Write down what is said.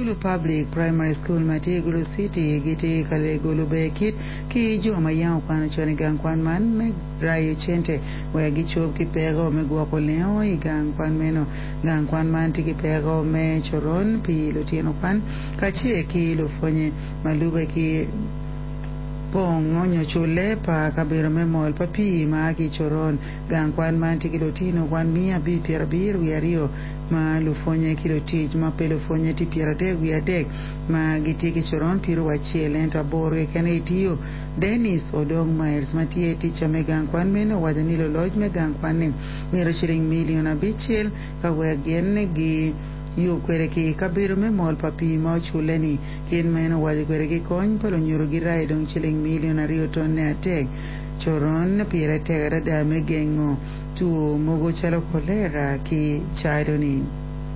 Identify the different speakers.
Speaker 1: Gulu Public Primary School ma tye i Gulu City gitye ka lego luber kit ki jo ma yam okwano con i gang kwan man me rayo cente wek gicob ki peko me gwoko lengo i gang kwan meno. Gang kwan man tye ki peko me coron pi lutino kwan kacel ki lupwonye ma lube ki pong nyo culle pa kabedo me mol pa pii ma a ki i coron. Gang kwan man tye ki lutino kwan 572 ma lupwonye ki lutic ma pe lupwonye tye 33 ma gitye ki coron piero acel ento aboro keken aye tiyo. Dennis Odong Miles ma tye tica me gang kwan meno owaco ni luloc me gang kwan-ni mito ciling milion 5 ka wek gin giyub kwede ki kabedo me mol pa pii ma oculle-ni. Kit ma en owaco kwede ki kony pa lunyodo girayo dong ciling milion 2 tonne adek. Coron pire tek adada me gengo two mogo calo kolera ki cado-ni.